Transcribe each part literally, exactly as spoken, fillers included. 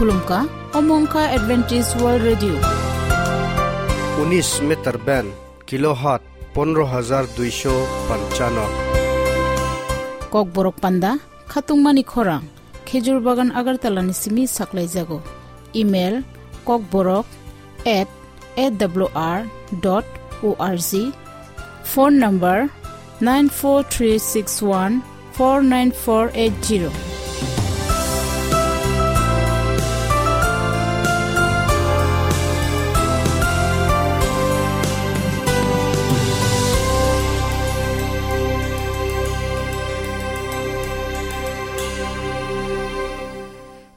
Khulumkha, omo wngkha Adventist World Radio. Unis meter band, kilohertz pondro hajar duisho panchano. Kokborok panda, khatungmani khorang, Khejur Bagan Agartala ni simi saklaijago. Email, kokborok at A W R dot O R G. Phone number nine four three six one four nine four eight zero.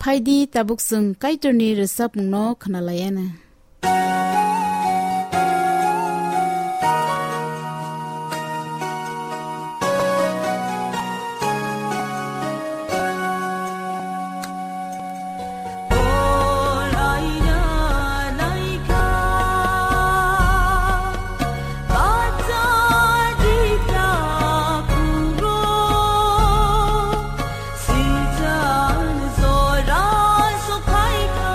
Phaidi tabuk chwng Kaitorni rwchapmungno khwnalaiana. Sijan jora sokhaikha,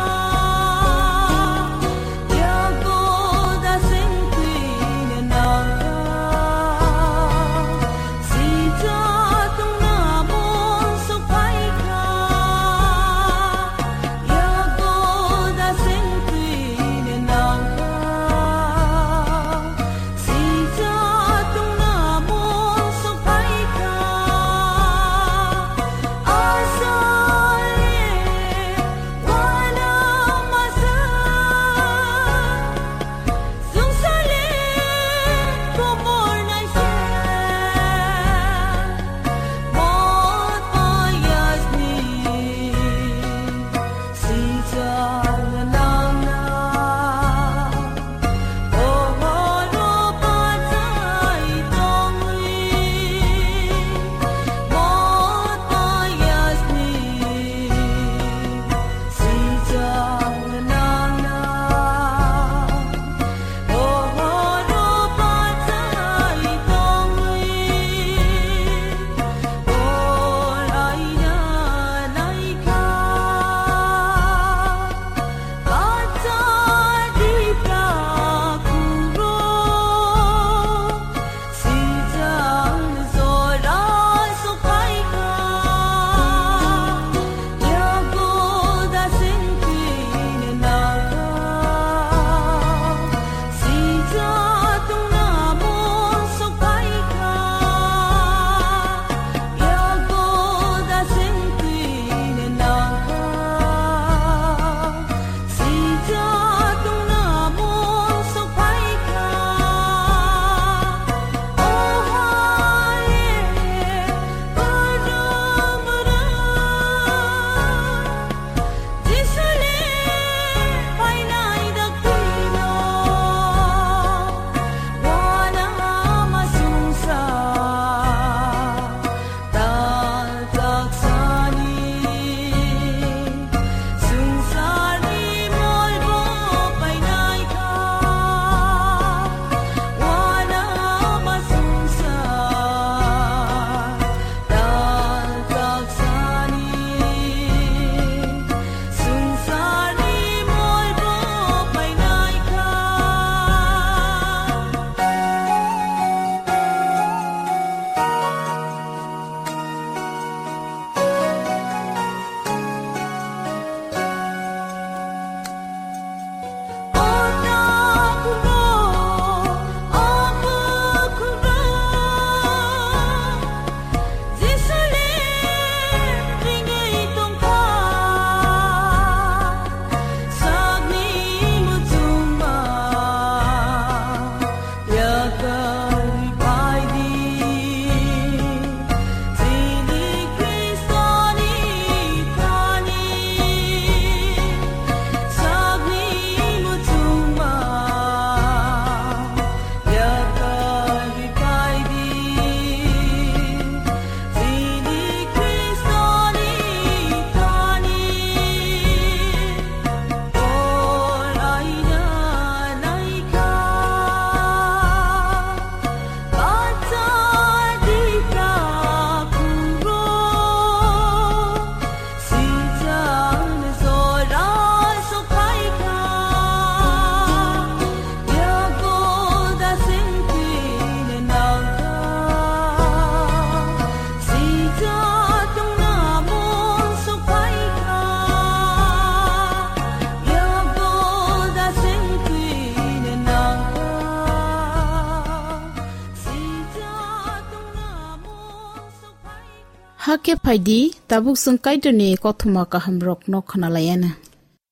Hakhe phaidi, tabuk chwng Kaitorni kothoma kahamrokno khwnalaianw.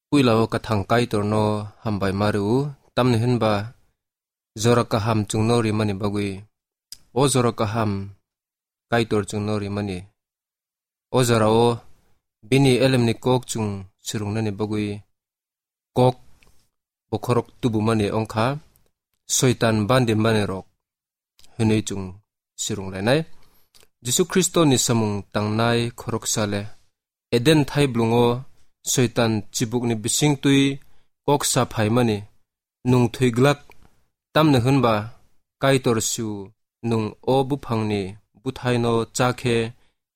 Puilao kwthang Kaitorno hambai ma rw-o, tamni hwnba jora kaham chwngno rimani bagwi. O jora kaham Kaitor chwngno rimani. O jorao bini elemni kok chwng swrwngnani bagwi kok bokhorok tubumani wngkha, Soitan bandi manirok hwnwi chwng swrwnglainai. Jisu Khristoni samung tangnai khoroksa le Eden thaiblwngo Soitan chibukni bisingtwi kok sa phaimani, "Nwng thwi glak, tamni hwnba Kaitor su nwng o buphangni bwthaino cha khe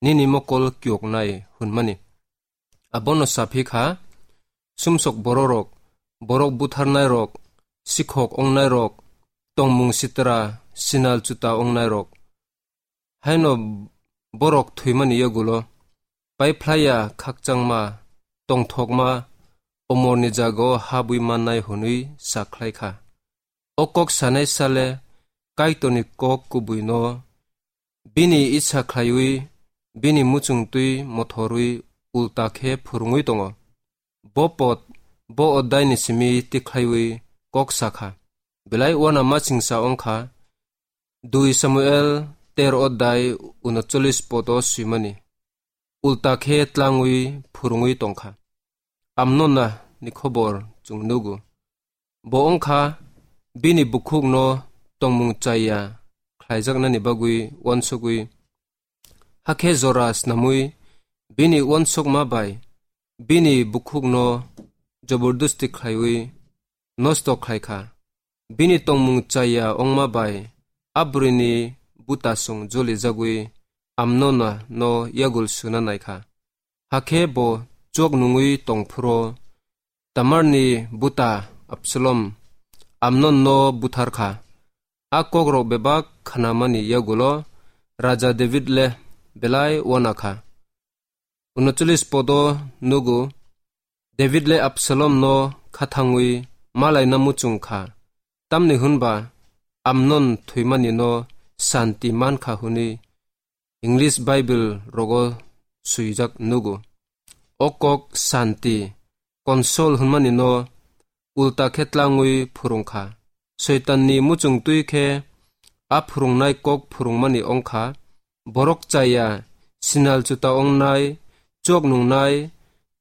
nini mokol kiyoknai," hwnmani. Abono sa phi kha, sumsok bororok, borok butharnairok, sikhok wngnairok, tongmung sitra, sinal chuta wngnairok. Haino borok thwimani yagulo paiphlaiya khakchangma, tongthokma, omorni jagao habwi mannai hwnwi sa khlai kha. O kok sanai sale Kaitorni kok kubuino bini isa khlaiwi, bini muchungtwi mothorwi ulta khe phwrwngwi tongo. Bo pod, bo oddaini simi tikhlaiwi kok sa kha. Belai uanama chingsa wng kha, dui Samuel ter oddai unochollis podo swimani. Ulta khe tlangwi phwrwngwi tong kha. Amnonna ni khobor chwng nugo. Bo wng kha bini bukhukno tongmung chaya khlaijaknani bagwi uansugwi, hakhe jora snamwi bini uansukma bai bini bukhukno jobordosti khlaiwi nosto khlai kha. Bini tongmung chaya wngma bai a bwrwini butasong jolijagwi Amnonna no yagul suna nai kha. Hakhe bo chok nungwi tong phuro Tamarni buta Absalom Amnonno buthar kha. A kokrok bebak khnamani yagulo Raja David le belai uana kha. Unochollis podo nugo, David le Absalomno khathangwi malaina muchung kha, tamni hwnba Amnon thwimani no santi man kha hwnwi English Bible rogo swijak nugo. O kok santi, console hwnmani no ulta khe tlangwi phwrwng kha. Soitanni muchung twi khe a phwrwngnai kok phwrwngmani wng kha, borok chaya, sinal chuta wngnai, chok nungnai,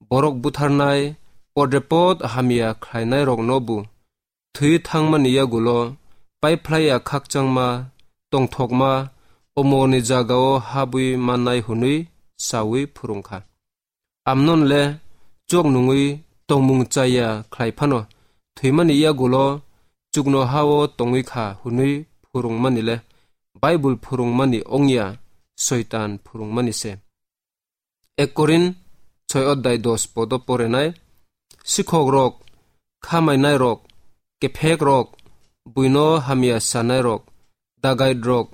borok butharnai, podrepot hamya khlainairokno bo thwi thangmani yagulo paiphlaiya khakchangma, tongthokma, omorni jagao habwi mannai hwnwi sawi phwrwng kha. Amnon le chok nungwi tongmung chaya khlai phano thwimani yagulo chukno hao tongwi kha hwnwi phwrwngmani le Bible phwrwngmani wngya, Soitan phwrwngmani se. Ek Korin soi oddai dos podo porenai, sikhokrok, khamainairok, kephekrok, buino hamya sanairok, dagaidrok,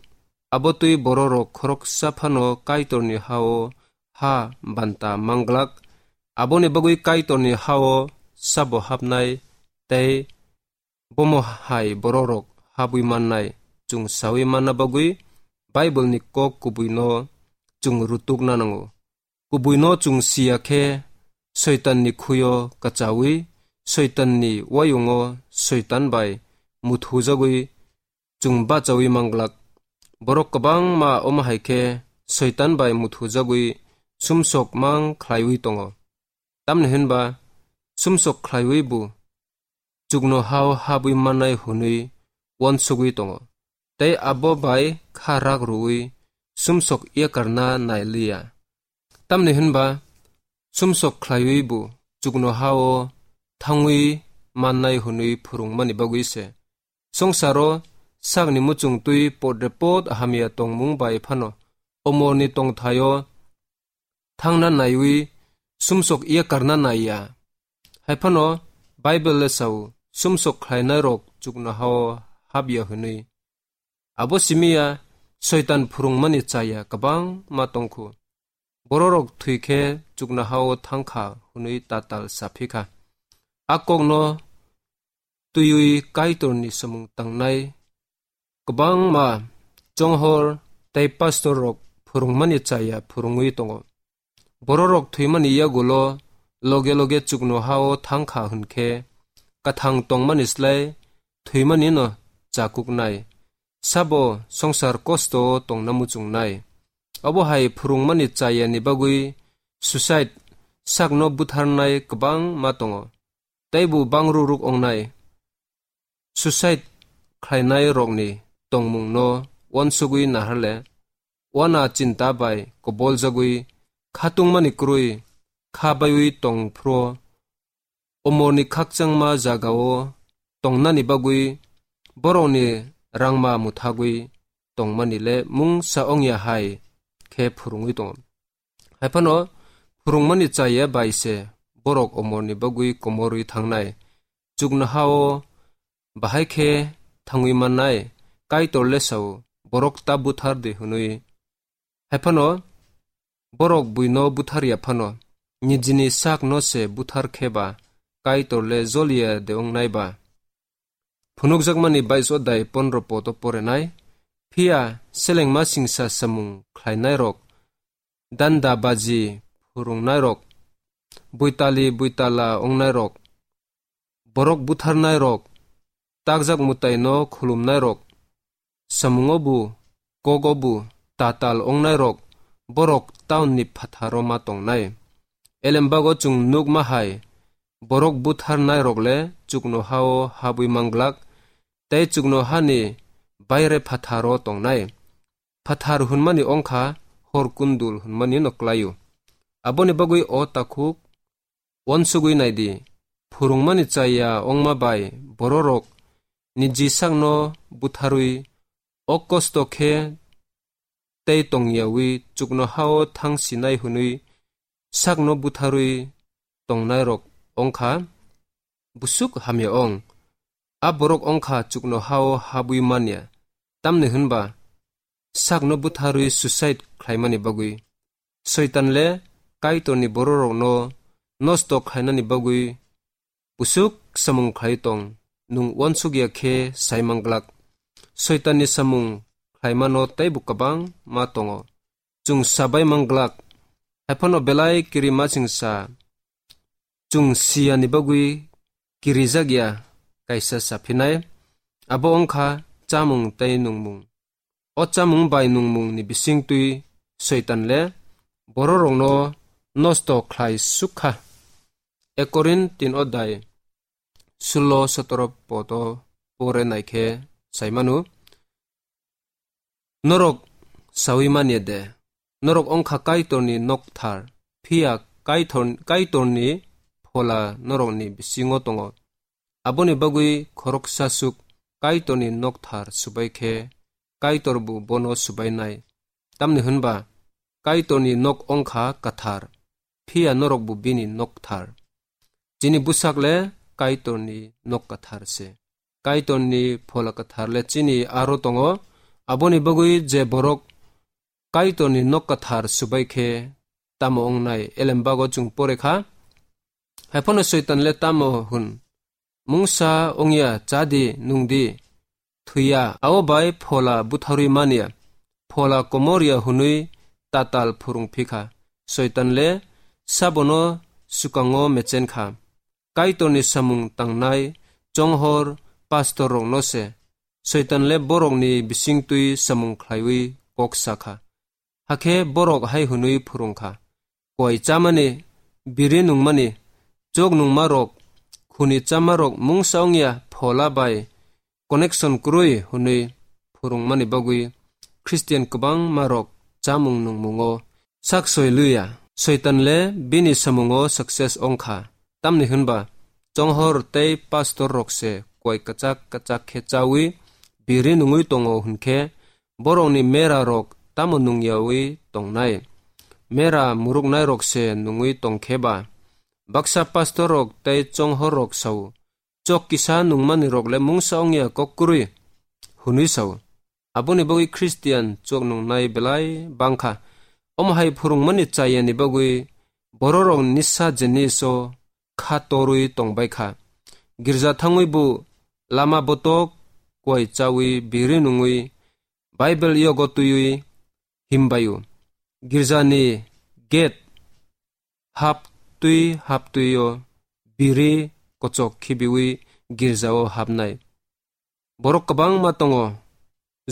abo twi bororok khoroksa phano Kaitorni hao ha banta manglak, aboni bagwi Kaitorni hao sabo hapnai tei bomo hai bororok habwi mannai chwng sawi manna bagwi Bible-ni kok kubuino chwng rutukna nango. Kubuino chwng siya khe Soitanni khuyo kachawi, Soitanni wayungo Soitan bai muthujagwi chwng bachawi manglak. Borok kwbangma omo hai khe Soitan bai muthujagwi sumsok mang khlaiwi tongo. Tamni hwnba sumsok khlaiwi bo chukno hao habwi mannai hwnwi uansugwi tongo, tei abo bai kha rak rwui sumsok yakarna nai liya. Tamni hwnba sumsok khlaiwi bo chukno hao thangwi mannai hwnwi phwrwngmani bagwi se. Songsaro sakni muchung twi podrepot hamya tongmung bai phano omorni tongthaio thangna naiwi sumsok yakarna naiya. Hai phano Bible le sao, sumsok khlainairok chuknohao hapya hwnwi. Abo simiya Soitan phwrwngmani chaya kwbangma tongkhu. Bororok thwi khe chuknohao thangkha hwnwi tatal saphi kha. A kokno twiwi Kaitorni samung tangnai kwbangma chonghor tei pastor rok phwrwngmani chaya phwrwngwi tongo. Bororok thwimani yagulo loge loge chuknohao thang kha hwn khe, kathang tongmani slai thwimanino chakuknai. Sabo songsar kosto-o tongna muchungnai. Obo hai phwrwngmani chayani bagwi suicide, sakno butharnai kwbangma tongo. Teibo bangru ruk ongnai. Suicide khlainai rokni tongmungno uansugwi naharle, uana chinta bai koboljagwi khatungmani kwrwi kha baiwi tong phro, omorni khakchangma jagao tongnani bagwi borokni rangma muthagwi tongmani le mungsa ongya hai khe phwrwngwi tongo. Haiphano phwrwngmani chaya bai se borok omorni bagwi komorwi thangnai. Chuknohao bahai khe thangwi mannai, Kaitor le sao, borok ta buthar di hwnwi. Haiphano borok buino buthar ya phano, nijini sakno se buthar khe ba, Kaitor le joliya de wngnai ba. Phunukjakmani bais odai pondro poto porenai, phiya selengma singsa samung khlainairok, danda baji phwrwngnairok, buitali buitala wngnairok, borok butharnairok, takjak mwtaino khulumnairok, samungo bu, kogo bu tatal wngnairok, borok taunni phatharo ma tongnai. Elembago chwng nukma hai, borok butharnairok le chuknohao habwi manglak, tei chuknohani baire phatharo tongnai. Phathar hwnmani wngkha hor kundul hwnmani no klaio. Aboni bagwi o takhuk uansugwi naidi, phwrwngmani chaya wngma bai bororok niji sakno butharwi, o kosto khe tei tongyawi chuknohao thang sinai hwnwi sakno butharwi tongnairok wngkha busuk hamya ong. A borok wngkha chuknohao habwi manya, tamni hwnba sakno butharwi suicide khlaimani bagwi. Soitan le Kaitorni bororokno nosto khlainani bagwi busuk samung khlai tong, nwng uansukya khe sai manglak. Soitanni samung khlaimano teibo kwbang ma tongo. Chwng sabai manglak. Haiphano belai kirima chwngsa chwng siyani bagwi kirijak ya kaisa saphinai, abo wngkha chamung tei nungmung. O chamung bai nungmungni bisingtwi Soitan le bororokno nosto khlai suk kha. Ekorin tin odai sulo sotoro poto pore naikhe saimanu. Norok sawi manya de, norok wngkha Kaitorni nokthar, phiya Kaitor-, Kaitorni phola norokni bisingo tongo. Aboni bagwi khoroksa suk Kaitorni nokthar subai khe, Kaitor bo bono subainai. Tamni hwnba Kaitorni nok wngkha kathar, phiya norok bo bini nokthar. Chini bwsak le Kaitorni nok kathar se. Kaitorni phola kathar le chini aro tongo. Aboni bagwi je borok Kaitorni nok kathar subai khe tamo wngnai elembago chwng pore kha. Haiphano Soitan le tamo hwn? Mungsa wngya chadi nungdi thwiya, abo bai phola butharwi manya, phola komorya hwnwi tatal phwrwng phikha. Soitan le sabono swkango mechen kha. Kaitorni samung tangnai chonghor pastor rokno se Soitan le borokni bisingtwi samung khlaiwi kok sakha. Hakhe borok hai hwnwi phwrwngkha, koi chamani, biri nungmani, chok nungmarok, khuni chamarok mungsa wngya phola bai connection kwrwi hwnwi phwrwngmani bagwi Christian kwbangmarok chamung nungmungo sak soi luya. Soitan le bini samungo success wngkha, tamni hwnba chonghor tei pastor rok se koi kwchak kwchak khe chawi biri nungwi tongo hwnkhe, borokni mera rok tamo nungyawi tongnai? Mera muruknai rok se nungwi tongkhe ba? Baksa pastor rok tei chonghor rok sao, chok kisa nungmani rok le mungsa wngya kok kwrwi hwnwi sao. Aboni bagwi Christian chok nungnai belai bangkha. Omo hai phwrwngmani chayani bagwi bororok nisa jiniso kha torwi tongbai kha. Girja thangwi bo lama botok koi chawi biri nungwi Bible yogo twiwi himbaio. girjani gate haptwi haptwi-o biri kochok khibiwi girjao hapnai. Borok kwbangma tongo.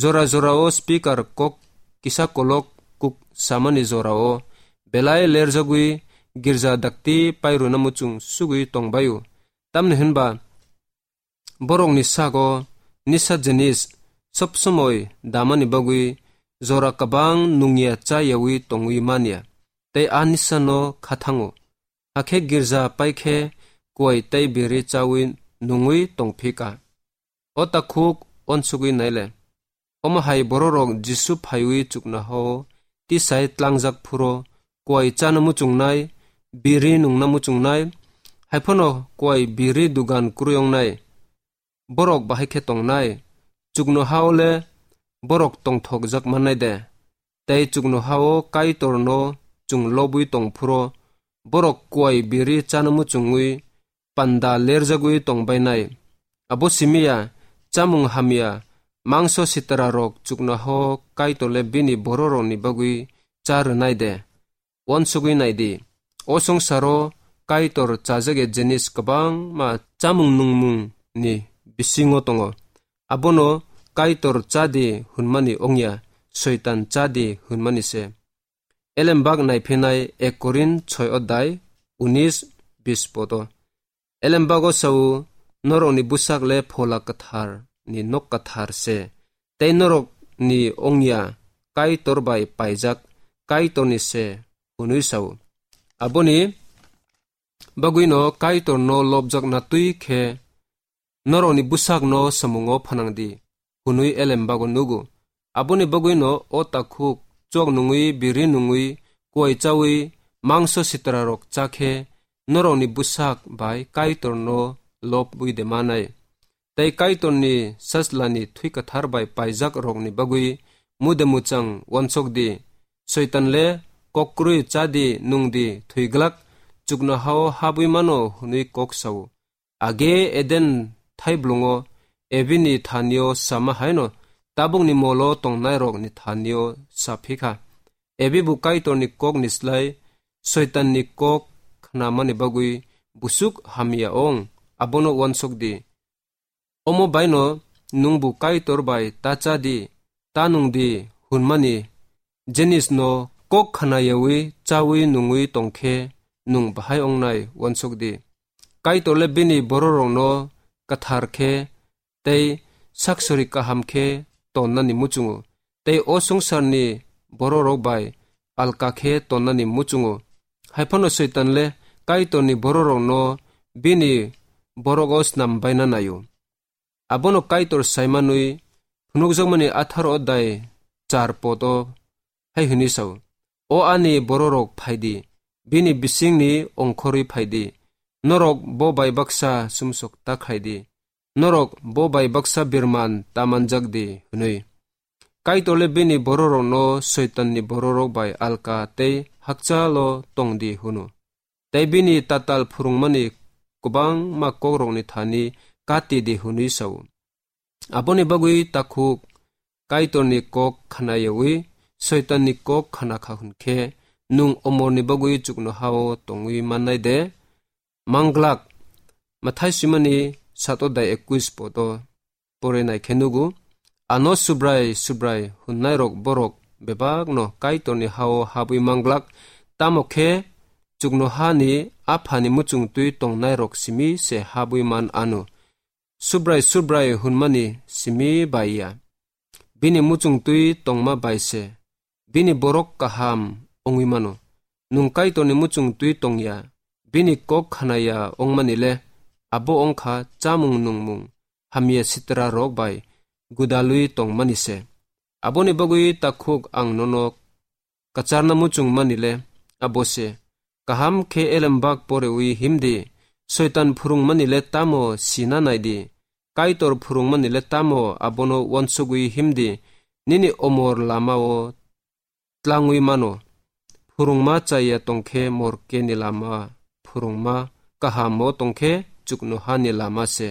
Jora jorao speaker kok kisa kolok kuk samani jorao belai lerjagwi girja dakti pairwna muchung sugwi tongbaio. Tamni hwnba borokni sago nisa jinis sob somoi damani bagwi jora kwbang nungya chayawi tongwi manya, tei a nisano khathango. Hakhe girja paikhe kuai tei biri chawi nungwi tongphika. O takhuk uansugwi naile. Omo hai bororok Jisu phaiwi chuknohao tisai tlangjak phuro, kuai chana muchungnai, biri nungna muchungnai, haiphano kuai biri dugan kwrwi wngnai. Borok bahai khe tongnai, chuknohao le borok tongthokjak mannai de? Tei chuknohao Kaitorno chwng lobwi tong phuro, borok kuai biri chana muchungwi panda lerjagwi tongbainai. Abo simi ya, chamung hamya, mangso sitrarok chuknohao Kaitorle bini bororokni bagwi cha rwnai de? Uansugwi nai di, o songsaro Kaitor chajak ya jinis kwbangma chamung nungmungni bisingo tongo. Abono Kaitor cha di hwnmani wngya, Soitan cha di hwnmani se. Elembak naiphinai ek Korin soi odai unis bis poto. Elembago sao, norokni bwsak le Phola Kwthar ni nok kwthar se, tei norokni wngya Kaitor bai paijak Kaitorni se, hwnwi sao. Aboni bagwino Kaitorno lobjakna twi khe norokni bwsakno samungo phanang di, hwnwi Elembago nugo. Aboni bagwino o takhuk chok nungwi, biri nungwi, kuai chawi, mangso sitrarok cha khe norokni bwsak bai Kaitorno lobwi de manai. Tei Kaitorni sajlani thwi kwthar bai paijak rokni bagwi mude muchang uansok di. Soitan le, kok kwrwi cha di, nung di, thwi glak, chuknohao habwi mano hwnwi kok sao. Age Eden thaiblwngo Ebini thanio sama haino tabukni molo tongnairokni thanio sa phikha. Ebi bo Kaitorni kokni slai Soitanni kok khnamani bagwi busuk hamya ong, abono uansuk di. Omo baino nwngbo Kaitor bai ta cha di, ta nung di, hwnmani jinisno kok khnayawi chawi nungwi tongkhe nwng bahai ongnai uansuk di. Kaitor le bini bororokno kwthar khe tei saksori kaham khe tonnani muchungo, tei o swngcharni bororok bai alka khe tonnani muchungo. Haiphano Soitan le Kaitorni bororokno bini borogo snam baina naio. Abono Kaitor saimanwi phunukjakmani atharo odai char poto hai hwnwi sao, "O ani bororok, phai di, bini bisingni ongkhorwi phai di, norok bo bai baksa sumsok ta khlai di, norok bo bai baksa birman ta manjak di," hwnwi. Kaitor le bini bororokno Soitanni bororok bai alka tei hakchalo tong di hwno. Tei bini tatal phwrwngmani kwbangma kokrokni thani kati di hwnwi sao. Aboni bagwi takhuk Kaitorni kok khnayawi Soitanni kok khna kha hwn khe, nwng omorni bagwi chuknohao tongwi mannai de? Manglak. Mathai swimani sato dai ekwis poto pore nai khe nugo, ano Subrai, Subrai hwnnairok borok bebakno Kaitorni hao habwi manglak, tamo khe chuknohani Aphani muchungtwi tongnairok simi se habwi man anw. Subrai, Subrai hwnmani simi bai ya, bini muchungtwi tongma bai se bini borok kaham wngwi mano. Nwng Kaitorni muchungtwi tong ya, bini kok khna ya wngmani le abo wng kha chamung nungmung hamya sitrarok bai gwdalwi tongmani se. Aboni bagwi takhuk ang nono kwcharna muchungmani le abo se. Kaham khe elembak porewi him di, Soitan phwrwngmani le tamo sina nai di, Kaitor phwrwngmani le tamo abono uansugwi him di, nini omor lamao tlangwi mano. Phwrwngma chaya tong khe morkeni lama, phwrwngma kahamo tong khe chuknohani lama se.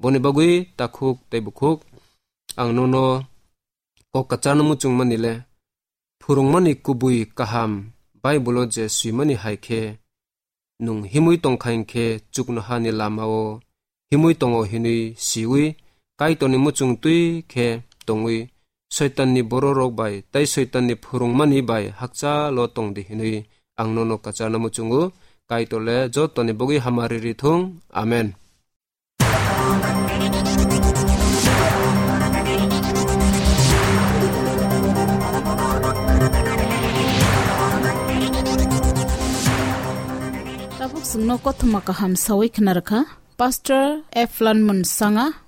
Boni bagwi takhuk tei bukhuk ang nono kok kwcharno muchungmani le, phwrwngmani kubui kaham Bible-o je swimani hai khe, nwng himwi tongkha hinkhe chuknohani lama-o himwi tongo hinwi siwi, Kaitorni muchung twi khe tongwi, Soitanni bororok bai tei Soitanni phwrwngmani bai hakchalo tongdi hinwi ang nono kwcharna muchungo. Kaitor le jotoni bogwi hamari rithung. Amen. Tabuk chwngno kothoma kaham sawi khna rwkha Pastor Eflan Munsanga.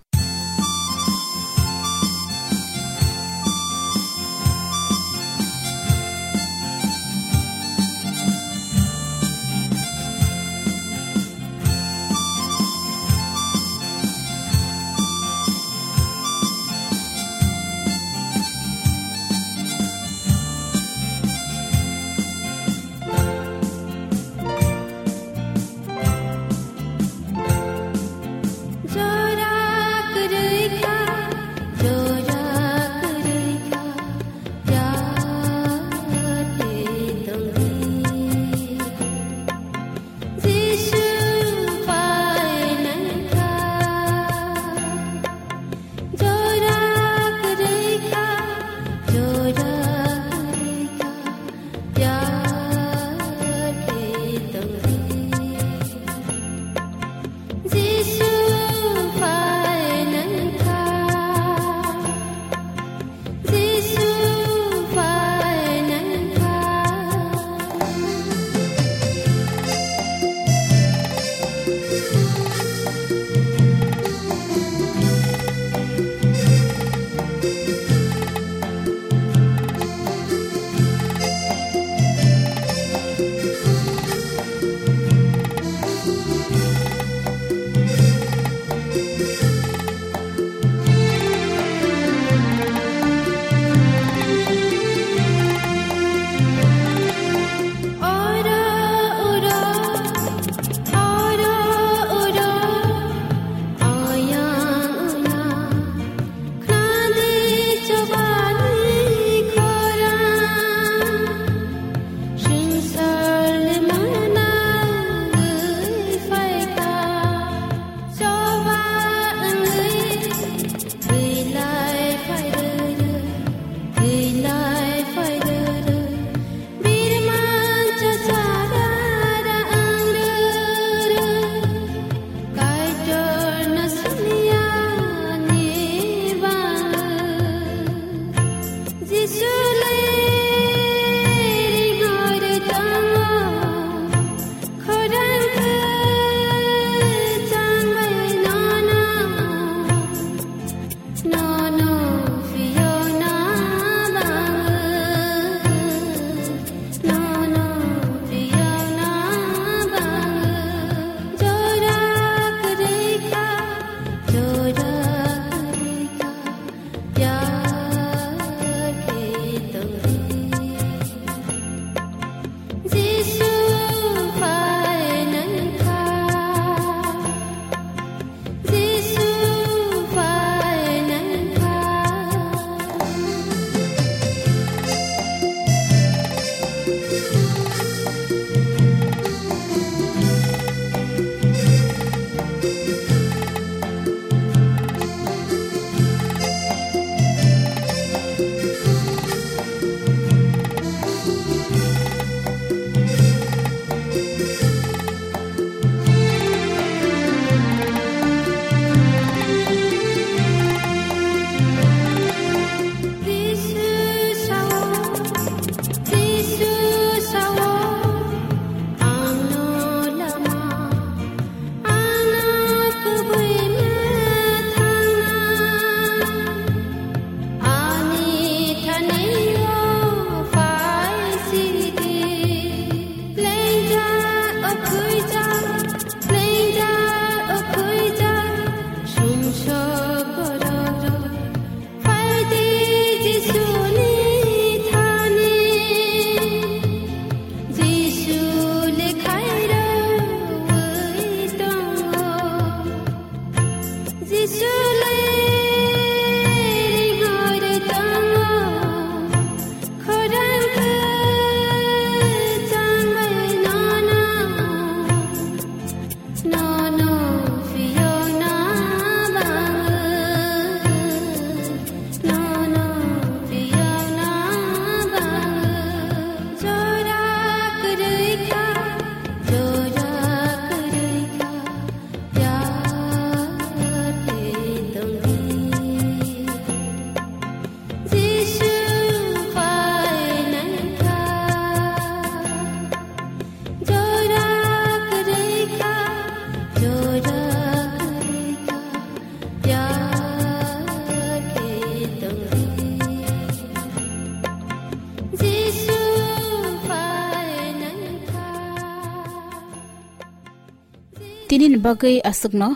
Nini bagwi aswkno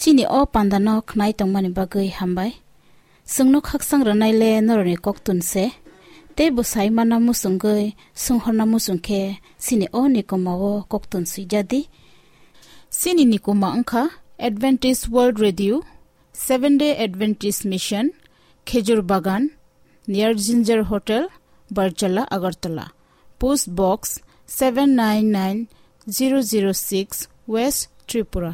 chini o pandano khnai tongmani bagwi hambai. Chwngno khakchang rwnaile norokni koktun se, tei bo sai manna muchungwi swnghorna muchung khe chini o nikoma o koktun swijadi. Chini nikoma wngkha Adventist World Radio, Seventh Day Adventist Mission, Khejur Bagan, near Ginger Hotel, Barjala, Agartala. Post Box seven nine nine zero zero six, West Tripura.